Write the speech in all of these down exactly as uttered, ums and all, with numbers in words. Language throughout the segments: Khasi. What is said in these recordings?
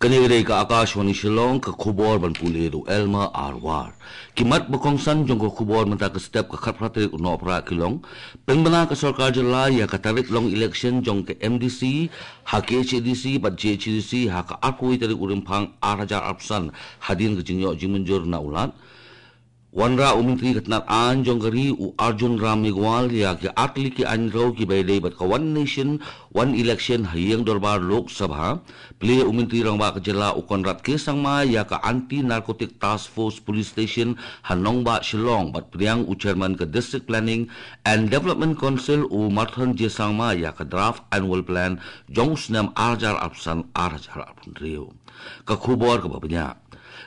Kane ka dei ka Akashvani Shillong, ka khubor ban pule da u Elmer Arwar. Ki mat ba kongsan jong ka khubor mynta ka step ka khatphra tarik u Nohprah ki long: pynbna ka sorkar jylla ïa ka tarik long election jong ka M D C ha K H A D C bad J H A D C ha ka arphew tarik u Rymphang ar hajar arphew san hadien ka jingïoh jingmynjur na u Lat. Wanrah u Myntri ka tnat aiñ jong ka ri u Arjun Ram Meghwal ïa ki artylli ki aiñ rew kiba ïadei bad ka One Nation One Election ha ïing dorbar Lok Sabha. Plie u Myntri Rangbah ka jylla u Conrad K Sangma ïa ka Anti Narcotic Task Force Police Station ha nongbah Shillong bad pdiang u Chairman ka District Planning and Development Council u Marthon J Sangma ïa ka draft annual plan jong u snem ar hajar arphew san ar hajar arphew hynriew. Ka khubor kaba bniah.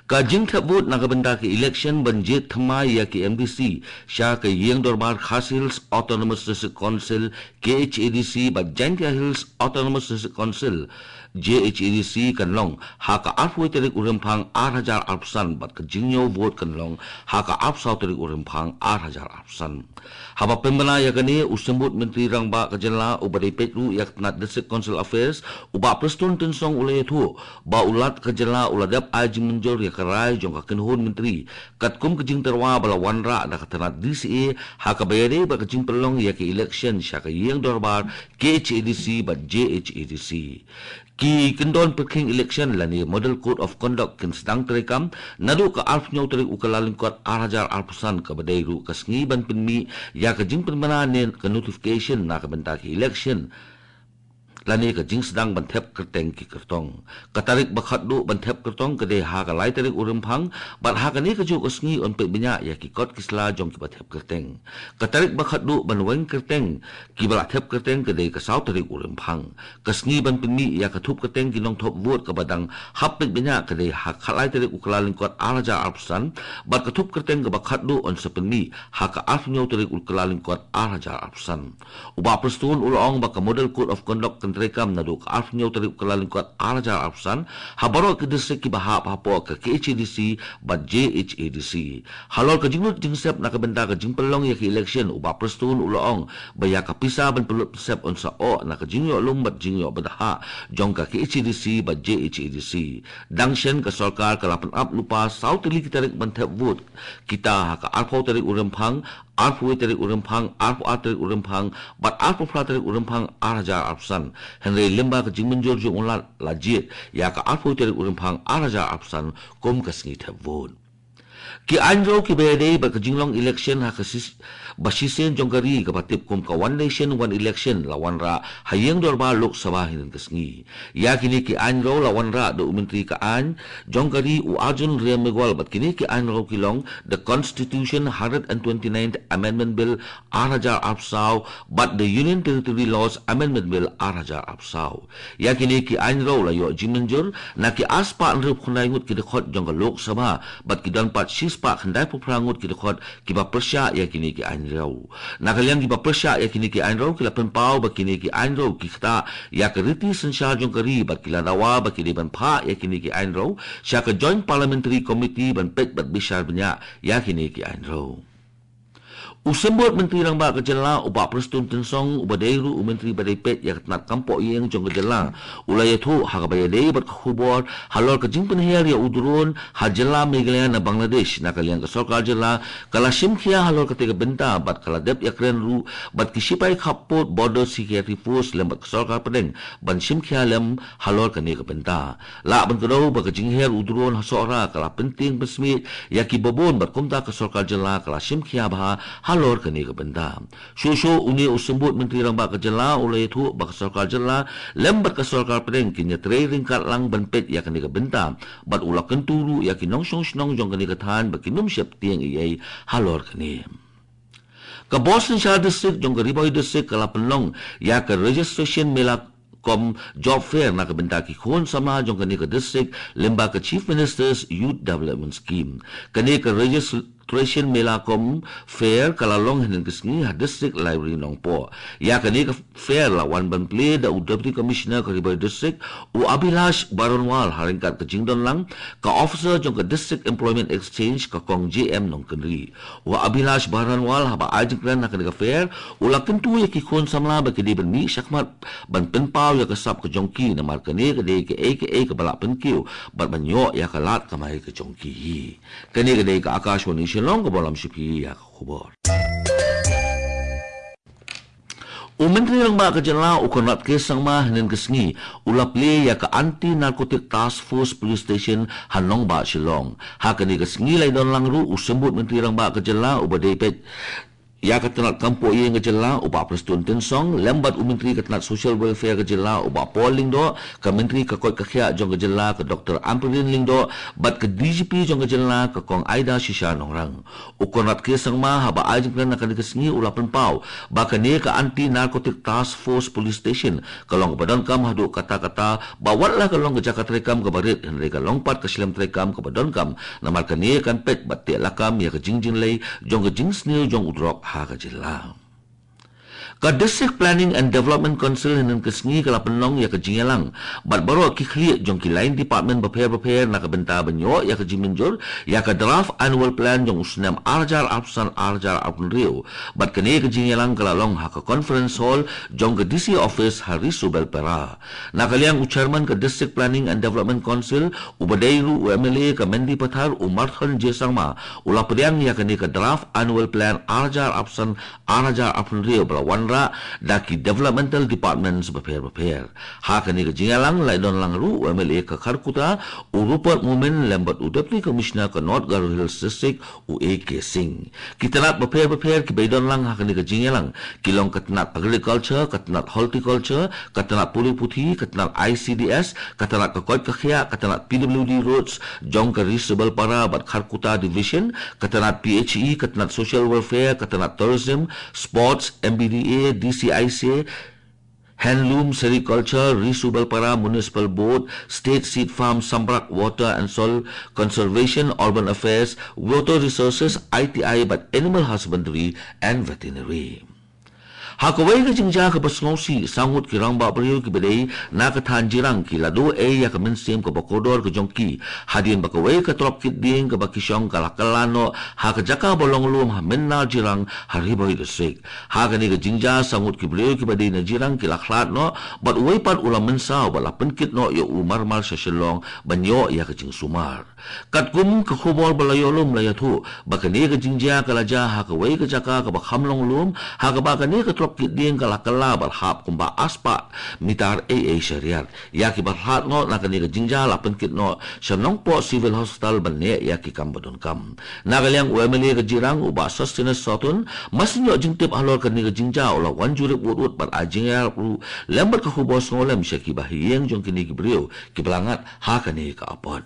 Ka jingthep vote na ka bynta ka election ban jied thymmai ïa ki M D C sha ka ïing dorbar Khasi Hills Autonomous District Council, K H A D C, bad Jaintia Hills Autonomous District Council, J H A D C, kan long ha ka arphew tarik u Rymphang ar hajar arphew san bad ka jingñiew vote kan long ha ka arphew saw tarik u Rymphang ar hajar arphew san. Haba pynbna ïa kane, u Symbud Myntri Rangbah ka jylla uba dei peit ruh ïa ka tnat District Council Affairs, u Bah Prestone Tynsong, u la ïathuh ba u Lat ka jylla u la dep ai jingmynjur ïa ka rai jong ka kynhun myntri katkum ka jingtyrwa ba la wanrah da ka tnat D C A ha kaba ïadei bad ka jingpynlong ïa ka election sha ka ïing dorbar K H A D C bad J H A D C. Ki kyndon pyrkhing election lane Model Code of Conduct kin sdang treikam naduh ka arphew tarik u Kyllalyngkot ar hajar arphew san, kaba dei ruh ka sngi ban pynmih ïa ka jingpynbna ne ka notification na ka bynta ka election lane ka jingsdang ban thep kyrteng ki kyrtong. Ka tarik ba khatduh ban thep kyrtong ka dei ha ka lai tarik u Rymphang, bad ha kane kajuh ka sngi yn peit bniah ïa ki kot ki sla jong kiba thep kyrteng. Ka tarik ba khatduh ban weng kyrteng kiba la thep kyrteng ka dei ka saw tarik u Rymphang. Ka sngi ban pynmih ïa ka thup kyrteng ki nongthop vote kaba dang hap peit bniah ka dei ha ka lai tarik u Kyllalyngkot ar hajar arphew san, bad ka thup kyrteng kaba khatduh yn sa pynmih ha ka arphew tarik u Kyllalyngkot ar hajar arphew san. U Bah Prestone u la ong ba ka Model Code of Conduct kan treikam naduh ka arphew tarik u Kyllalyngkot ar hajar arphew san ha baroh ki district kiba hap hapoh ka K H A D C bad J H A D C. Halor ka jinglut jingsep na ka bynta ka jingpynlong ïa ka election, u Bah Prestone u la ong ba ïa ka pisa ban pynlut pynsep yn sa oh na ka jingïoh lum bad jingïoh bthah jong ka K H A D C bad J H A D C. Dang shen ka sorkar ka la pynap lypa saw tylli ki tarik ban thep vote, kita ha ka arphew tarik u Rymphang, arphew tarik u Rymphang, arphew ar tarik u Rymphang, bad arphew phra tarik u Rymphang ar hajar arphew san. Hynrei lyngba ka jingmynjur jong u Lat la jied ïa ka arphew tarik u Rymphang ar hajar arphew san kum ka sngi thep vote. Ki aiñ rew kiba ïadei bad ka jinglong election ha ka sis-, ba shisien jong ka ri kaba tip kum ka One Nation One Election la wanrah ha ïing dorbar Lok Sabha hynnin ka sngi. Ïa kine ki aiñ rew la wanrah da u Myntri ka aiñ jong ka ri u Arjun Ram Meghwal, bad kine ki aiñ rew ki long the Constitution Hundred and Twenty-ninth Amendment Bill ar hajar arphew saw bad the Union Territory Laws Amendment Bill ar hajar arphew saw. Ïa kine ki aiñ rew la ïoh jingmynjur na ki arspah hynriewphew khyndai ngut ki dkhot jong ka Lok Sabha bad ki don pat shispah khyndaiphew phra ngut ki dkhot kiba pyrshah ïa kine ki aiñ rew. Na ka liang kiba pyrshah ïa kine ki aiñ rew ki la pynpaw ba kine ki aiñ rew ki ktah ïa ka riti synshar jong ka ri bad ki la dawa ba ki dei ban phah ïa kine ki aiñ rew sha ka Joint Parliamentary Committee ban peit bad bishar bniah ïa kine ki aiñ rew. U Symbud Myntri Rangbah ka jylla u Bah Prestone Tynsong, uba dei ruh u Myntri ba dei peit ïa ka tnat kam poh ïing jong ka jylla, u la ïathuh ha kaba ïadei bad ka khubor halor ka jingpynher ïa u drone ha jylla Meghalaya na Bangladesh. Na ka liang ka sorkar jylla ka la shim khia halor katei ka bynta bad ka la dep ïakren ruh bad ki shipai khappud Border Security Force lem bad ka sorkar pdeng ban shim khia lem halor kane ka bynta. Lah ban kdew ba ka jingher u drone ha Sohra ka la pyntieng pynsmiej ïa kiba bun bad kumta ka sorkar jylla ka la shim khia bha halor kane ka bynta. Shuh shuh une u Symbud Myntri Rangbah ka jylla u la ïathuh ba ka sorkar jylla lem bad ka sorkar pdeng kin ïatrei ryngkat lang ban peit ïa kane ka bynta, bad u la kyntu ruh ïa ki nongshong shnong jong kane ka thaiñ ba kin ym sheptieng ei ei halor kane. Ka Bhorsynshar District jong ka Ri Bhoi District ka la pynlong ïa ka Registration Mela cum Job Fair na ka bynta ki khun samla jong kane ka district lyngba ka Chief Minister's Youth Development Scheme. Kane ka regis-, Tradition Mela cum Fair ka la long hynnin ka sngi ha District Library Nongpoh. Ïa kane ka fair la wan ban plie da u Deputy Commissioner ka Ri Bhoi District, u Abhilash Baranwal, ha ryngkat ka jingdon lang ka officer jong ka District Employment Exchange, ka Kong J M Nongkynrih. U Abhilash Baranwal, haba ai jingkren ha kane ka fair, u la kyntu ïa ki khun samla ba ki dei ban mih shakhmat ban pynpaw ïa ka sap ka jong ki, namar kane ka dei kaei kaei kaba lah pynkiew bad ban ïoh ïa ka lad kamai ka jong ki hi. Kane ka dei ka Akashvani Shillong kaba lam sha phi ïa ka khubor. U Myntri Rangbah ka jylla, u Conrad K Sangma, hynnin ka sngi u la plie ïa ka Anti Narcotic Task Force Police Station ha nongbah Shillong. Ha kane ka sngi la ïadon lang ruh u Symbud Myntri Rangbah ka jylla, uba dei peit ïa ka tnat kam poh ïing ka jylla, u Bah Prestone Tynsong, lem bad u Myntri ka tnat Social Welfare ka jylla, u Bah Paul Lyngdoh, ka Myntri ka koit ka khiah jong ka jylla, ka Doctor Ampareen Lyngdoh, bad ka D G P jong ka jylla, ka Kong Ida Shisha Nongrang. U Conrad K Sangma, haba ai jingkren ha kane ka sngi, u la pynpaw ba kane ka Anti Narcotic Task Force Police Station ka long kaba donkam haduh katta katta, ba wat la ka long ka jaka treikam kaba rit, hynrei ka long pat ka shlem treikam kaba donkam, namar kane kan peit bad teh lakam ïa ka jingjynlei jong ka jingsniew jong u drok ha ka jylla. Ka District Planning and Development Council hynnin ka sngi ka la pynlong ïa ka jingïalang bad baroh ki khlieh jong ki line department bapher bapher na ka bynta ban ïoh ïa ka jingmynjur ïa ka draft annual plan jong u snem ar hajar arphew san ar hajar arphew hynriew. Bad kane ka jingïalang ka la long ha ka conference hall jong ka D C office ha Ri Subelpara. Na ka liang u chairman ka District Planning and Development Council, uba dei ruh u M L A ka Mendipathar, u Marthon J Sangma, u la pdiang ïa kane ka draft annual plan ar hajar arphew san ar hajar arphew hynriew ba la wanrah da ki developmental departments bapher bapher. Ha kane ka jingïalang la ïadon lang ruh u M L A ka Kharkutta, u Rupert Momin, lem bad u Deputy Commissioner ka North Garo Hills District, u A K Singh. Ki tnat bapher bapher kiba ïadon lang ha kane ka jingïalang ki long ka tnat Agriculture, ka tnat Horticulture, ka tnat Pule Puthi, ka tnat I C D S, ka tnat ka koit ka khiah, ka tnat P W D Roads jong ka Ri Subelpara bad Kharkutta Division, ka tnat P H E, ka tnat Social Welfare, ka tnat Tourism, Sports, M B D A, D C I C, Handloom, Sericulture, Ri Subelpara Municipal Board, State Seed Farm, Sambrak, Water and Soil Conservation, Urban Affairs, Water Resources, I T I bad Animal Husbandry and Veterinary. Ha kawei ka jingjia kaba sngewsih, saw ngut ki rangbah briew kiba dei na ka thaiñ Jirang ki la duh ei ïa ka mynsiem kaba kordor ka jong ki hadien ba kawei ka trok kit dieng kaba ki shong ka la kylla noh ha ka jaka ba long lum ha Mynnar Jirang ha Ri Bhoi District. Ha kane ka jingjia, saw ngut ki briew kiba dei na Jirang ki la khlad noh bad uwei pat u la mynsaw bad la pynkit noh ïa u marmar sha Shillong ban ïoh ïa ka jingsumar. Katkum ka khubor ba la ïoh lum la ïathuh ba kane ka jingjia ka la jia ha kawei ka jaka kaba kham long lum, ha kaba kane ka trok kit dieng ka la kylla bad hap kumba arspah mitar ei ei sha riat. Ïa kiba khlad noh na kane ka jingjia la pynkit noh sha Nongpoh Civil Hospital ban neh ïa ki kam ba donkam. Na ka liang u M L A ka Jirang, u Bah Sosthenes Sohtun, ba shu ïoh jingtip halor kane ka jingjia, u la wan jurip wut wut bad ai jingïarap ruh lem bad ka khubor sngewlem sha kiba ha ïing jong kine ki briew kiba la ngat ha kane ka apot.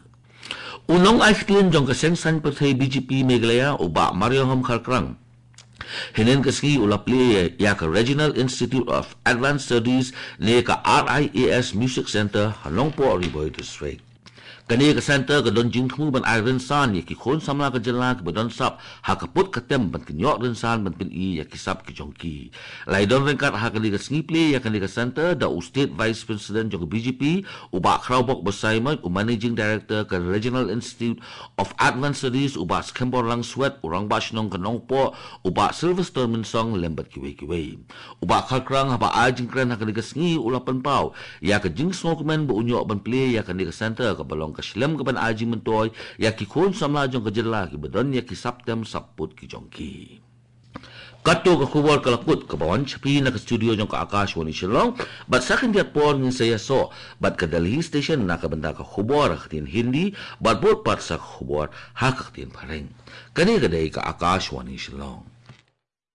U nongai ktien jong ka seng saiñ pyrthei B J P Meghalaya, u Bah Marianghom Kharkrang, hynnin ka sngi u la plie ïa ka Regional Institute of Advanced Studies ne ka R I A S Music Centre ha Nongpoh Ri Bhoi District. Kane ka centre ka don jingthmu ban ai rynsan ïa ki khun samla ka jylla kiba don sap ha ka put ka tem ban pynïoh rynsan ban pyni ïa ki sap ki jong ki. La ïadon ryngkat ha kane ka sngi plie ïa kane ka centre da u State Vice President jong ka B J P, u Bah Khrawbok Basaiawmoit, u Managing Director ka Regional Institute of Advanced Studies, u Bah Skhimbor Langswet, u Rangbah Shnong ka Nongpoh, u Bah Sylvester Mynsong lem bad kiwei kiwei. U Bah Kharkrang haba ai jingkren ha kane ka sngi u la pynpaw ïa ka jingsngewkmen ba un ïoh ban plie ïa kane ka centre kaba long ka shlem kaban ai jingmyntoi ïa ki khun samla jong ka jylla kiba don ïa ki sap tem sap put ki jong ki. Kato ka khubor ka la kut kaba wan sha phi na ka studio jong ka Akashvani Shillong, bad sa khyndiat por ngin sa ïasoh bad ka Delhi Station na ka bynta ka khubor ha ka ktien Hindi, bad bud pat sa ka khubor ha ka ktien Phareng. Kane ka dei ka Akashvani Shillong.